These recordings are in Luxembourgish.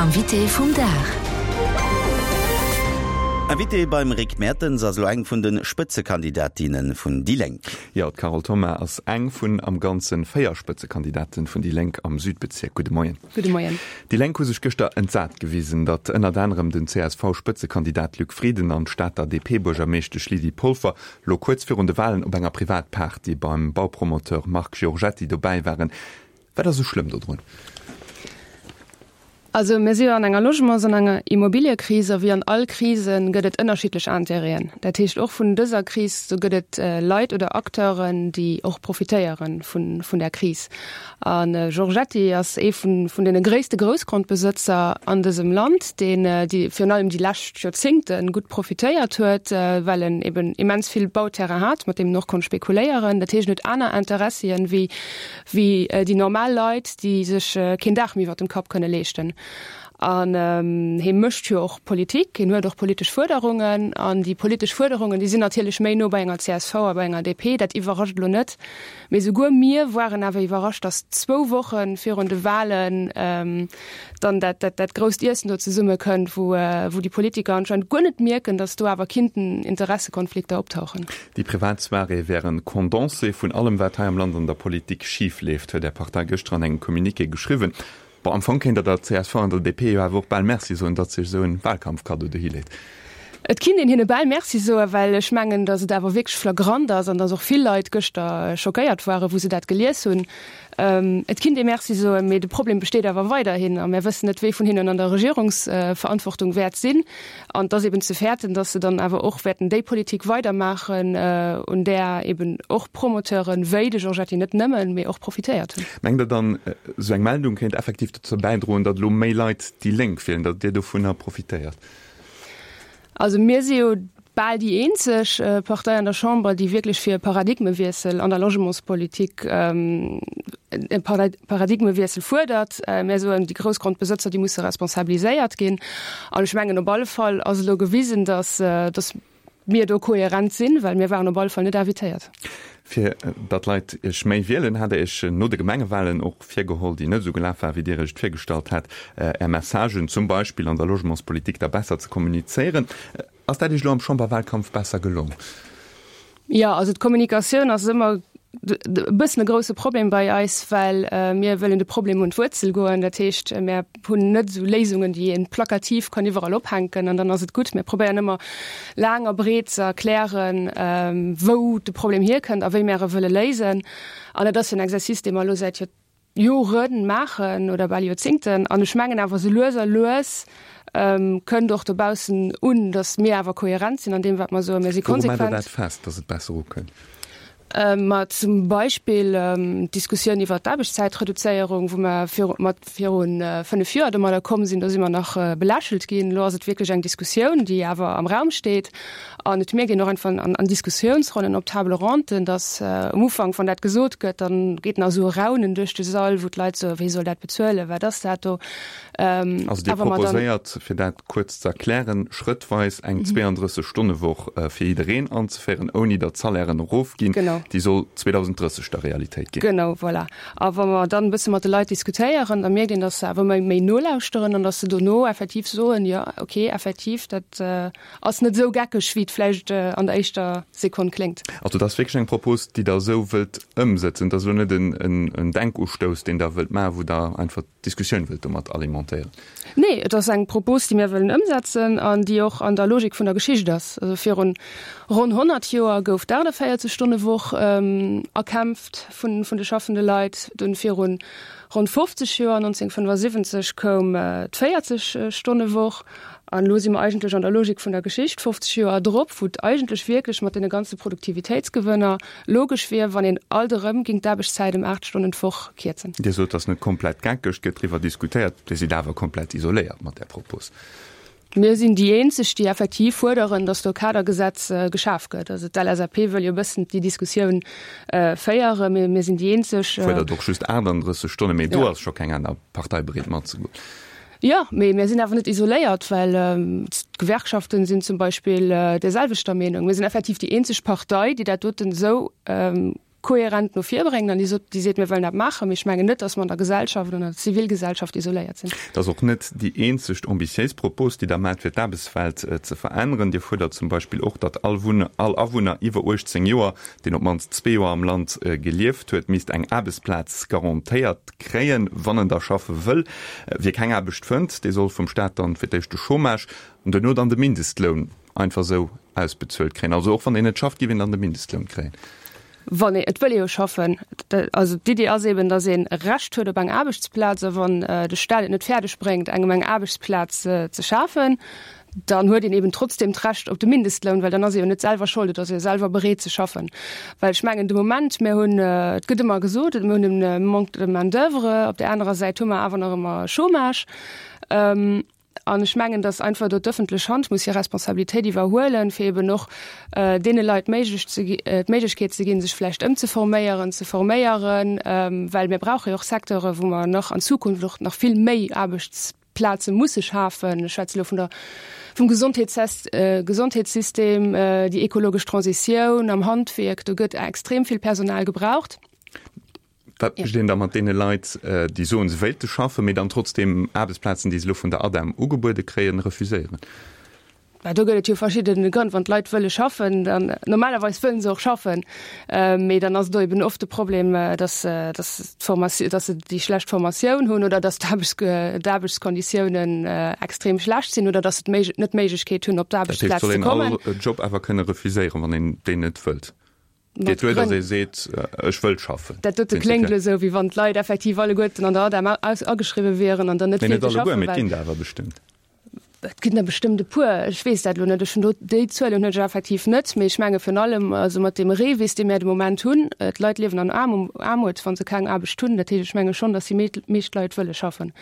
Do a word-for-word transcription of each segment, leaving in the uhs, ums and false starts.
Invité vum Dag. Invité beim Rick Mertens ass elo eng vun de Spëtzekandidatinne vun déi Lénk. Jo, d'Carole Thoma ass eng vun am Ganze véier Spëtzekandidaten vun déi Lénk am Südbezierk. Gudde Moien. Gudde Moien. Déi Lénk hu sech gëschter entsat gewisen, datt ënnert anerem den C S V-Spëtzekandidat Luc Frieden an d'Stater D P-Buergermeeschtesch Lydie Polfer lo kuerz virun de Walen op enger Privatparty beim Baupromoteur Marc Giorgetti dobäi waren. Wat ass esou schlëmm dodrun? Also mir si jo an enger Logements an enger Immobiliëkris a wéi an all Krise gëtt et ënnerschiddlech Intérêten. Dat heescht och vun dëser Kris, do gëtt et Leit oder Acteuren, déi och profitéiere vun vun där Kris. A Giorgetti ass ee vun vun deene gréisste Groussgrondbesëtzer an dësem Land, deen déi virun allem déi lescht Joerzéngte gutt profitéiert huet, well en eben immens vill Bauterrain hat, mat deem en och konnt spekuléieren. Dat heescht en huet aner Interessien wéi wéi déi normal Leit, déi sech keen Daach méi iwwert dem Kapp kënne leeschten. An hie mécht jo och Politik, hien huet och politesch Fuerderungen. An déi politesch Fuerderungen, déi sinn natierlech méi no bei enger C S V a bei enger D P, dat iwwerrascht elo net. Mee souguer mir waren awer iwwerrascht, datt zwou Woche virun de Wahlen dann dat, dat, dat grousst Iessen do zesummekënnt, wou, wou déi Politiker anscheinend guer net mierken, datt do awer kinnten Interessekonflikter optauchen. Déi privat Soirée wär en Condensé vun allem, wat hei am Land an der Politik schif leeft, huet Är Partei gëschter an engem Communiqué geschriwwen. Bon, am Fong kéint Der der C S V an der D P jo awer och bal Merci soen, datt se iech esou en Wahlkampfkaddo dohi leet. Et kinnt een hinne bal Merci soen, well ech mengen, datt et awer wierklech flagrant ass an datt och vill Leit gëschter schockéiert waren, wou se dat gelies hunn. Et kinnt ee Merci soen, mee de Problem besteet awer weiderhin a mär wëssen net, wee vun hinnen an der Regierungsverantwortung wäert sinn. An et ass eben ze fäerten, datt se dann awer och wäerten déi Politik weidermaachen, un där eben och Promoteuren, wéi de Giorgetti, net nëmmen, mee och profitéiert hunn. Mengt Der dann, esou eng Meldung kéint effektiv dozou bäidroen, datt elo méi Leit déi Lénk wielen, datt Dir dovunner profitéiert? Also mir si jo bal déi eenzeg Partei an der Chamber, déi wierklech fir e Paradigmewiessel an der Logementspolitik, e Paradigmewiessel fuerdert. Mir soen, déi Groussgrondbesëtzer, déi musse responsabiliséiert ginn. An ech mengen, op alle Fall ass elo gewisen, datt, datt mir do kohärent sinn, well mir waren op alle Fall net invitéiert. Fir datt d'Leit Iech méi wielen, hat Der Iech no de Gemengewalen och virgeholl, déi net esou gelaf war, wéi Dir Iech et virgestallt hat, Är Messagen zum Beispill an der Logementspolitik da besser ze kommunizéieren. Ass dat Iech elo am Chamberwahlkampf besser gelong? Jo, also d'Kommunikatioun ass ëmmer e bëssen e grousse Problem bei eis, well mir wëllen de Problem un d'Wuerzel goen. Dat heescht, mir hunn net esou Léisungen, déi een plakativ kann iwwerall ophänken an dann ass et gutt. Mir probéieren ëmmer laang a breet ze erklären, wou de Problem hierkënnt a wéi mir e wëlle léisen. An dat ass jo en Exercice, dee mer elo säit Jore maachen oder bal Joerzéngten. An ech mengen awer, sou lues a lues kënnt och dobaussen un, datt mir awer kohärent sinn an deem, wat mer soen. Mir si Wouru maacht Der konsequent. dat fest, datt et besser ukënnt? Ma zum Beispill d'Diskussioun iwwert d'Aarbechtszäitreduzéierung, wou mer viru mat viru fënnef Joer domadder komm sinn, do si mer nach belächelt ginn. Elo ass et wierklech eng Diskussioun, déi awer am Raum steet. An et mierkt een och einfach an an Diskussiounsronnen op Table ronden, datt um Ufank, wann dat gesot gëtt, dann geet nach esou e Raunen duerch de Sall, wou d'Leit soen, Wie soll dat bezuelen, wat ass dat do? Also Dir Awer mer dann. proposéiert, fir dat kuerz ze erklären, schrëttweis eng zweiunddrësseg-Stonne-Woch fir jiddereen anzeféieren, ouni datt d'Salairen erofginn. Genau. Déi soll zweedausendrësseg der Realitéit ginn. Genau, voilà. A wa mer dann e bësse mat de Leit diskutéieren, da mierkt een, datt se awer méi, méi nolauschteren an datt se dono effektiv soen, jo, okay, effektiv, dat ass net esou geckeg, wéi et vläicht an der éischter Sekonn kléngt. Also dat ass wierklech eng Propos, déi Der esou wëllt ëmsëtzen. Dat ass elo net en Denkustouss, deen Der wëllt maachen, wou Der einfach d'Diskussioun wëllt domat alimentéieren. Nee, et ass eng Propos, déi mir wëllen ëmsetzen an déi och an der Logik vun der Geschicht ass. Also virun ronn honnert Joer gouf d'achtavéierzeg-Stonne-Woch erkämpft vun de schaffende Leit. Dunn virun ronn fofzeg Joer, nonzénhunnertfënnefasiwwenzeg, koum d'véierzeg-Stonne-Woch. An elo si mer eigentlech an der Logik vun der Geschicht, fofzeg Joer drop, wou et eigentlech wierklech mat deene ganze Produktivitéitsgewënner logesch wier, wann een alt erëm géing d'Aarbechtszäit ëm aacht Stonnen d'Woch kierzen. Dir sot, et ass net komplett geckeg, et gëtt driwwer diskutéiert. Dir sidd awer komplett isoléiert mat där Propos. Mir sinn déi eenzeg, déi effektiv fuerderen, datt do e Kadergesetz geschaf gëtt. Also d'L S A P wëll jo e bëssen déi Diskussioun féieren, mee mir sinn déi eenzeg. Fuerdert och just aachtanddrësseg Stonnen, mee do ass scho keng aner Partei bereet matzegoen. Jo, mee mir sinn awer net isoléiert, well d'Gewerkschaften sinn zum Beispill där selwechter Meenung. Mir sinn effektiv déi eenzeg Partei, déi dat doten esou kohärent no vir bréngt an déi sot, déi seet, mir wëllen dat maachen. Mee ech mengen net, datt mer an der Gesellschaft, an der Zivilgesellschaft isoléiert sinn. Dat ass och net déi eenzegt ambitiéis Propos, déi Der maacht, fir d'Aarbechtswelt ze veränneren. Dir fuerdert zum Beispill och, datt all Wunner, all Awunner iwwer uechtzéng Joer, deen op d'mannst zwee Joer am Land gelieft huet, misst eng Aarbechtsplaz garantéiert kréien, wann en da schaffe wëll. Wie keng Aarbecht fënnt, dee soll vum Staat dann fir d'éischt de Chômage an duerno dann de Mindestloun einfach esou ausbezuelt kréien. Also och wann een net schafft, géif een dann de Mindestloun kréien. Wann ee, et wëll ee jo schaffen. Also d'Iddi ass eben, datt een e Recht huet op eng Aarbechtsplaz a wann de Staat et net fäerdeg bréngt, engem eng Aarbechtsplaz ze schafen, dann huet een eben trotzdem d'Recht op de Mindestloun, well dann ass ee jo net selwer schold, et ass ee jo selwer bereet ze schaffen. Well ech mengen de Moment, mir hunn, et gëtt ëmmer gesot, mir hunn e Manque de main d'oeuvre, op där anerer Säit hu mer awer nach ëmmer Chômage. An ech mengen, dass einfach do d'öffentlech Hand muss hir Responsabilitéit iwwerhuelen, fir eben och deene Leit méiglech ze d'Méiglechkeet ze ginn, sech vläicht ëmzeforméieren, ze forméieren, well mir brauche jo och Secteure wou mer nach an Zukunft och nach vill méi Aarbechtsplaze musse schafen. Ech schwätze elo vun der, vum Gesondheetssystem, déi ekologesch Transitioun am Handwierk, do gëtt extrem vill Personal gebraucht. Wat mécht een da mat deene Leit, déi soen, se wéilte schaffen, mee dann trotzdeem Aarbechtsplazen, déi se elo vun der ADEM ugebuede kréien, refuséieren? Bah, do gëtt et jo verschidde Grënn. Wann d'Leit wëlle schaffen, dann normalerweis wëllen se och schaffen, mee dann ass do eben oft de Problem, dass, dass d'Formatioun, dass se déi schlecht Formatioun hunn oder dass d'Aarbechtskonditiounen extrem schlecht sinn oder dass se net d'Méiglechkeet hunn, op d'Aarbechtsplaz ze kommen. Dat heescht, et soll een all Job awer kënne refuséieren, wann een deen net wëllt? Geet duer, datt ee seet, ech wëll schaffen. Dat dote kléngt elo esou, wéi wann d'Leit effektiv alleguerten an der ADEM ageschriwwe wieren an dann net wéilte schaffen. Mee net alleguer, mee et ginn der awer bestëmmt. Et ginn der bestëmmt e puer. Ech weess dat elo net. Ech hunn do, déi Zuelen hunn ech effektiv net. Mee ech menge virun allem, also mat deem REVIS, dee mär de Moment hunn, d'Leit liewen an Aarmut, wa se keng Aarbecht hunn. Dat heescht, ech menge schonn, datt déi meescht Leit wëlle schaffen.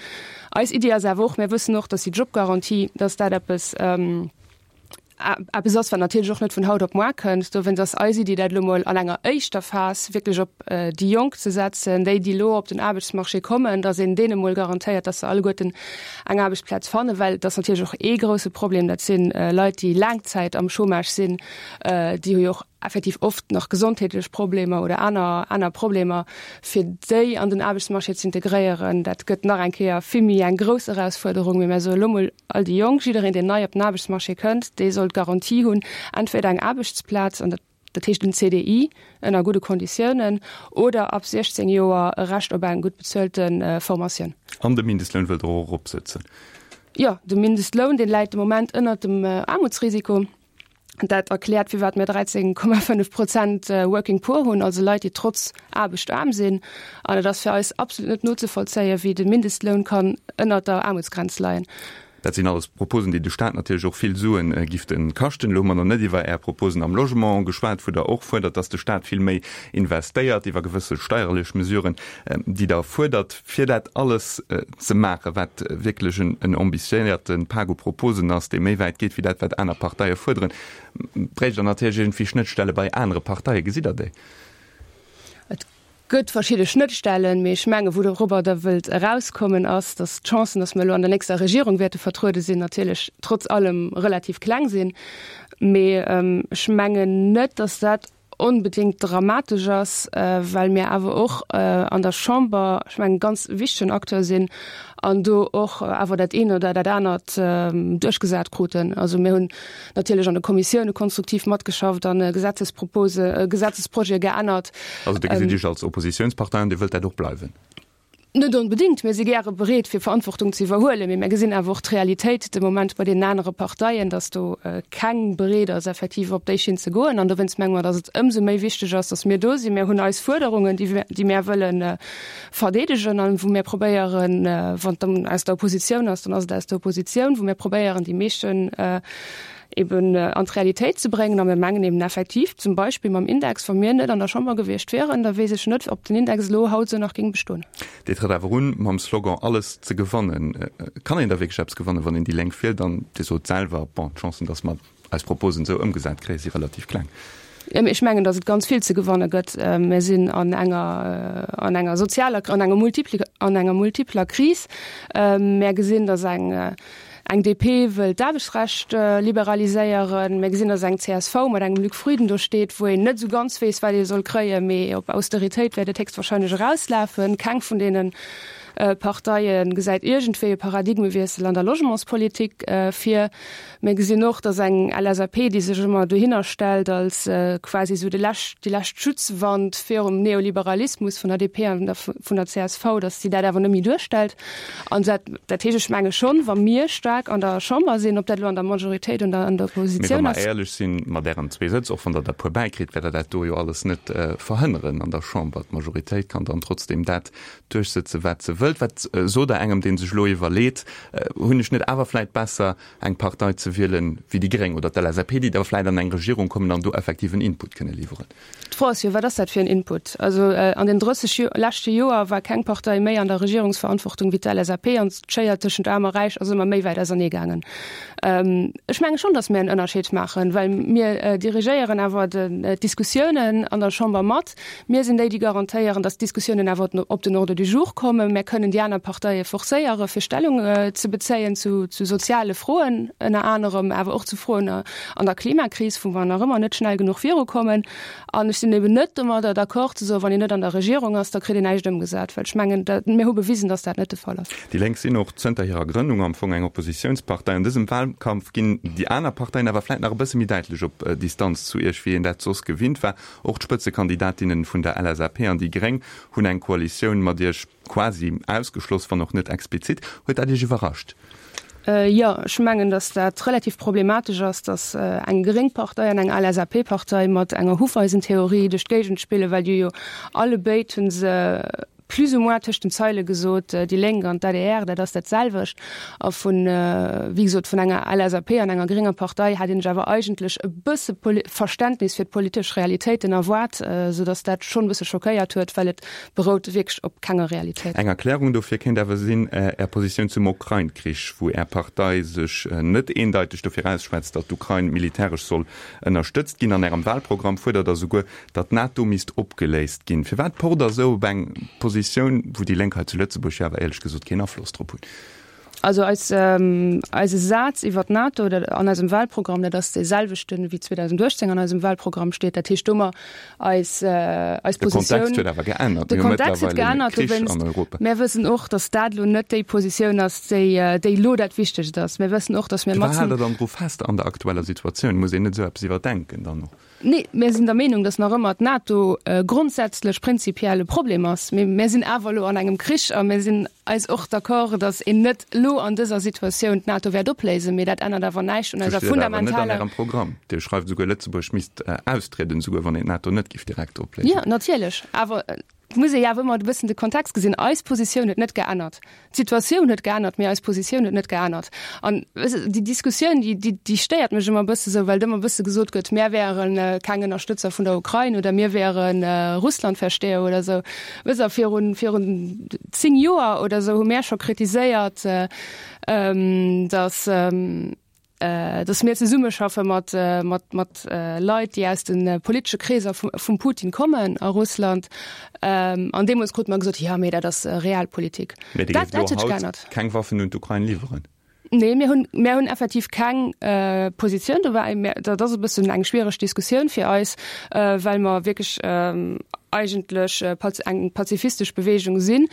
Eis Iddi ass awer och, mär wëssen och, datt déi Jobgarantie, datt dat eppes, Eppes ass, wat natierlech och net vun haut op muar kënnt. Dowéinst ass eis Iddi, dat elo mol an enger éischter Phas wierklech op déi Jonk ze setzen, déi, déi elo op den Aarbechtsmarché kommen, datt een deene mol garantéiert, datt se alleguerten eng Aarbechtsplaz fannen, well et ass natierlech och ee grouse Problem, dat si Leit, déi laang Zäit am Chômage sinn, déi hu jo och effektiv oft nach gesondheetlech Problemer oder aner, aner Problemer, fir déi an den Aarbechtsmarché ze integréieren, dat gëtt nach eng Kéier vill méi eng grouss Erausfuerderung. Mee mir soe lo mol, all déi Jonk, jiddereen, deen nei op den Aarbechtsmarché kënnt, dee soll d'Garantie hunn, entweder eng Aarbechtsplaz, an dat, dat heescht en C D I ënner gudde Konditiounen, oder ab siechzéng Joer e Recht op eng gutt bezuelte Formatioun. An de Mindestloun wëllt Der och eropsëtzen? Jo, de Mindestloun, dee läit de Moment ënnert dem Aarmutsrisiko. Dat erkläert, firwat mir dräizéng Komma fënnef Prozent Working Poor hunn, also Leit, déi trotz Aarbecht aarm sinn. An et ass fir eis absolut net nozevollzéien, wéi de Mindestloun kann ënnert der Aarmutsgrenz leien. Dat sinn alles Proposen, déi de Staat natierlech och vill Suen gifte kaschten. Elo hu mer nach net iwwer Är Proposen am Logement geschwat, wou Der och fuerdert, dass de Staat vill méi investéiert, iwwer gewësse steierlech Mesuren, déi Der fuerdert. Fir dat alles ze maachen, wat wierklech en ambitiéierte Pak u Proposen ass, dee méi wäit geet wéi dat, wat aner Parteie fuerderen, bréicht Der natierlech iergendwéi Schnëttstelle bei anere Parteien. Gesitt Der déi? Et gëtt verschidde Schnëttstellen, mee ech mengen, wourobber Der wëllt erauskommen, ass, datt d'Chancen, datt mer elo an der nächster Regierung wäerte vertruede sinn, natierlech trotz allem relativ kleng sinn. Mee ech mengen net, datt dat onbedéngt dramatesch ass, well mir awer och an der Chamber, ech mengen, ganz wichtegen Acteur sinn an do och awer dat eent oder dat anert duerchgesat kruten. Also mir hunn natierlech an de Kommissioune konstruktiv matgeschafft an Gesetzespropose, Gesetzesprojete geännert. Also Dir gesitt Iech als Oppositiounspartei an Dir wëllt dat och bleiwen? Net onbedéngt. Mir si gäre bereet, fir Verantwortung ze iwwerhuelen, mee mir gesinn awer och d'Realitéit de Moment bei deenen anere Parteien, dass do keng bereet ass, effektiv op déi Schinn ze goen. An dowéinst menge mer, dass et ëmsou méi wichteg ass, dass mir do sinn. Mir hunn eis Fuerderungen, déi déi mir wëlle verdeedegen an wou mir probéieren, wann et dann aus der Oppositioun ass, dann ass et aus der Oppositioun, wou mir probéieren, déi meeschten eben an d'Realitéit ze bréngen. A mir mengen eben effektiv, zum Beispill mam Index, wa mir net an der Chamber gewiescht wieren, da weess ech net, ob den Index elo haut esou nach géing bestoen. Dir trëtt awer un mam Slogan Alles ze gewannen. Kann een da wierklech eppes gewannen, wann een déi Lénk wielt? An Dir sot selwer, bon, d'Chancen, datt mer eis Proposen esou ëmgesat kréien, si relativ kleng. Ech mengen, datt et ganz vill ze gewanne gëtt. Mir sinn an enger, an enger sozialer, an enger multipler, an enger multipler Kris. Mir gesinn, datt eng, eng D P wëll d'Aarbechtsrecht liberaliséieren. Mir gesinn, datt eng C S V mat engem Luc Frieden do steet, wou een net esou ganz weess, wat ee soll kréien, mee op Austeritéit wäert et héchstwahrscheinlech erauslafen. Keng vun deenen Parteie gesäit iergendwéi e Paradigmewiessel an der Logementspolitik vir. Mir gesinn och, datt eng L S A P, déi sech ëmmer dohinner stellt als quasi esou de lescht, déi lescht Schutzwand virum Neoliberalismus vun der D P an der vun der C S V, datt si dat awer net méi duerstellt. An dat, dat heescht, ech menge schonn, wa mir staark an der Chamber sinn, ob dat elo an der Majoritéit oder an der Mee wa Oppositioun mer ass, éierlech sinn, mat Ären zwee Sëtz, och wann Der der e puer bäikritt, wäert Der dat do jo alles net verhënneren an der Chamber. D'Majoritéit kann dann trotzdem dat duerchsëtzen, wat se wëllt. Wat sot Der engem, dee sech elo iwwerleet, Hunn ech net awer vläicht besser, eng Partei ze wielen wéi déi Gréng oder d'L S A P, déi da vläicht an eng Regierung kommen an do effektiv en Input kënne liwweren? D'Fro ass jo, wat ass dat fir en Input? Also an den drësseg leschte Joer war keng Partei méi an der Regierungsverantwortung wéi d'L S A P an d'Schéier tëschent Aarm a Räich ass ëmmer méi wäit ausernee gaangen. Ech menge schonn, datt mir en Ënnerscheed maachen, well mir dirigéieren awer d'Diskussiounen an der Chamber mat. Mir sinn déi, déi garantéieren, datt d'Diskussiounen awer op den Ordre du jour kommen. Mir kënnen déi aner Parteie forcéiere fir Stellung ze bezéien zu, zu soziale Froen ënner anerem, awer och zu Froen an der Klimakris, wou mer nach ëmmer net schnell genuch virukommen. An ech sinn eben net domadder d'accord ze soen, wann een net an der Regierung ass, da kritt een näischt ëmgesat, well ech mengen, dat, mir hu bewisen, datt dat net de Fall ass. Déi Lénk sinn och zënter hirer Grënnung am Fong eng Oppositiounspartei. An dësem Wahlkampf ginn déi aner Parteien awer vläicht nach e bësse méi däitlech op Distanz zu Iech, wéi een dat soss gewinnt war. Och d'Spëtzekandidatinnen vun der L S A P an déi Gréng hunn eng Koalitioun mat Iech quasi ausgeschloss, wann och net explizit. Huet dat Iech iwwerrascht? Jo, ech mengen, datt dat relativ problematesch ass, datt eng gréng Partei an eng L S A P-Partei mat enger Hufeisentheorie duerch d'Géigend spillen, well déi jo allebéid hu se plus ou moins tëscht den Zeile gesot, déi Lénk an d'A D R, dat ass dat selwecht. A vun, wéi gesot, vun enger L S A P an enger grénger Partei hat een sech awer eigentlech e bësse Verständnis fir d'politesch Realitéiten erwaart, soudatt dat schonn e bësse schockéiert huet, well et berout wierklech op kenger Realitéit. Eng Erklärung dofir kéint awer sinn Är Positioun zum Ukrain-Krich, wou Är Partei sech net eendeiteg dofir ausschwätzt, datt d'Ukrain militäresch soll ënnerstëtzt ginn. An Ärem Wahlprogramm fuerdert Der souguer, datt d'NATO misst opgeléist ginn. Firwat pocht Der esou op eng Positioun, wou déi Lénk hei zu Lëtzebuerg jo awer éierlech gesot keen Afloss drop hunn? Also eis, ähm, eise Saz iwwer d'NATO oder an eisem Wahlprogramm, dat ass dee selwechten, wéi zweedausendachtzéng an eisem Wahlprogramm steet. Dat heescht do mer eis, äh, eis De Kontext Positioun. huet awer geännert. De Mir hu Kontext huet mëttlerweil e geännert, Krich dowéinst. an Europa. Mir wëssen och, datt dat elo net déi Positioun ass, déi, äh, déi elo dat Wichtegst ass. Mir wëssen och, datt mir Firwat haalt matzen Der dann dru fest an der aktueller Situatioun? Muss een net esou eppes iwwerdenken dann och? Nee, mir sinn der Meenung, datt nach ëmmer d'NATO äh, grondsätzlech prinzipiell e Problem ass. Mir, mir sinn awer elo an engem Krich a mir sinn eis och d'accord, datt een net elo an dëser Situatioun d'NATO wäert opléisen, mee dat ännert awer näischt un Sou eiser steet et awer net an fundamentaler. Ärem Programm. Dir schreift souguer, Lëtzebuerg misst äh, austrieden, souguer wann een d'NATO net géif direkt opléisen. Ja, natierlech. Awer äh, et muss ee jo awer ëmmer e bëssen de Kontext gesinn. Eis Positioun huet net geännert. D'Situatioun huet geännert, mee eis Positioun huet net geännert. An weess de, déi Diskussioun, déi, déi, déi stéiert mech ëmmer e bësse sou, well ëmmer e bësse gesot gëtt, mir wären äh, keng Ënnerstëtzer vun der Ukrain oder mir wären äh, Russlandversteher oder sou. Weess de, virun, virun zéng Joer oder sou hu mir scho kritiséiert, äh, ähm, dass, ähm, äh, dass mir zesummeschaffe mat, äh, mat, mat äh, Leit, déi aus den äh, politesche Kreesser vum, vum Putin kommen a Russland. Ähm, an deemools krute mer gesot, ja, mee dat ass äh, Realpolitik. Mee Dir Dat, géift dat elo huet haut geännert. keng Waffen un d'Ukrain liwweren. Nee, mir hunn, mir hunn effektiv keng äh, Positioun dobäi. Mir, dat ass e bëssen eng schwiereg Diskussioun fir eis, äh, well mer wierklech ähm, eigentlech äh, paz eng pazifistesch Beweegung sinn.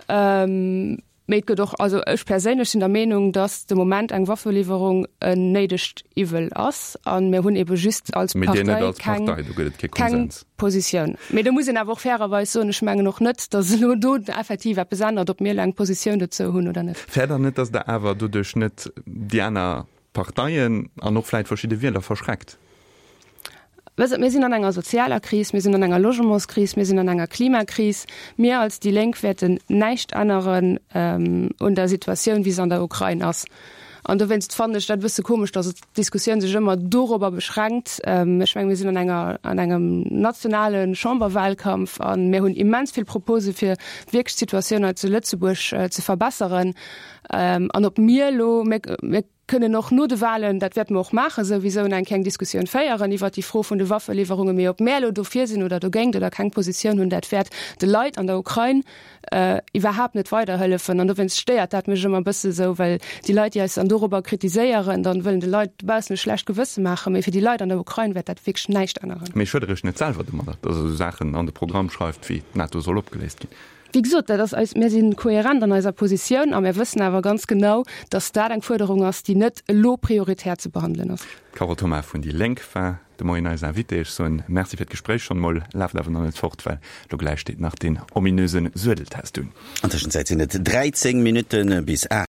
Ähm, mee et gëtt och, also ech perséinlech sinn der Meenung, dass de Moment eng Waffeliwwerung en néidegt Iwwel ass an mir hunn ebe just als Mee Dir net Partei als keng, Partei, do gëtt et kee keng Konsens. Positioun. Mee do muss een awer och fairerweis soen, ech mengen och net, dass elo do effektiv eppes ännert, ob mir eng Positioun dozou hunn oder net. Fäert Der net, dass Der awer doduerch net déi aner Parteien an och vläicht verschidde Wieler verschreckt? Weess de, mir sinn an enger sozialer Kris, mir sinn an enger Logementskris, mir sinn an enger Klimakris. Mir als déi Lénk wäerten näischt änneren ähm, un der Situatioun, wéi se an der Ukrain ass. An dowéinst fannen ech dat e bësse komesch, dass d'Diskussioun sech ëmmer dorobber beschränkt. Ähm, ech menge mir sinn an enger an engem nationale Chamberwahlkampf an mir hunn immens vill Propose fir wierklech d'Situatioun hei zu Lëtzebuerg äh, ze verbesseren. Ähm, an ob mir elo mir, mir kënnen och no de Wahlen, dat wäerte mer och maachen, souwisou eng kleng Diskussioun féieren iwwert déi Fro vun de Waffeliwwerungen, mee ob mär elo dofir sinn oder dogéint oder keng Positioun hunn, dat wäert de Leit an der Ukrain iwwerhaapt net weiderhëllefen. An dowéinst stéiert dat mech ëmmer e bësse sou, well déi Leit, déi eis dann dorobber kritiséieren, dann wëllen de Leit dobaussen e schlecht Gewësse maachen, mee fir déi Leit an der Ukrain wäert dat wierklech näischt änneren. Mee schued Der Iech net selwer domadder, datt Der esou Saachen an de Programm schreift, wéi d'NATO soll opgeléist ginn? Wéi gesot, dat ass eis, mir si kohärent an eiser Positioun a mir wëssen awer ganz genau, datt dat eng Fuerderung ass, déi net elo prioritär ze behandelen ass. D'Carole Thoma vun déi Lénk war de Moien eis Invitée. Ech soen Merci fir d'Gespréich schonn emol. Laaft awer nach net fort, well lo gläich steet nach deen ominöse Suedeltest un. An Tëschenzäit sinn et dräizéng Minutte bis aacht.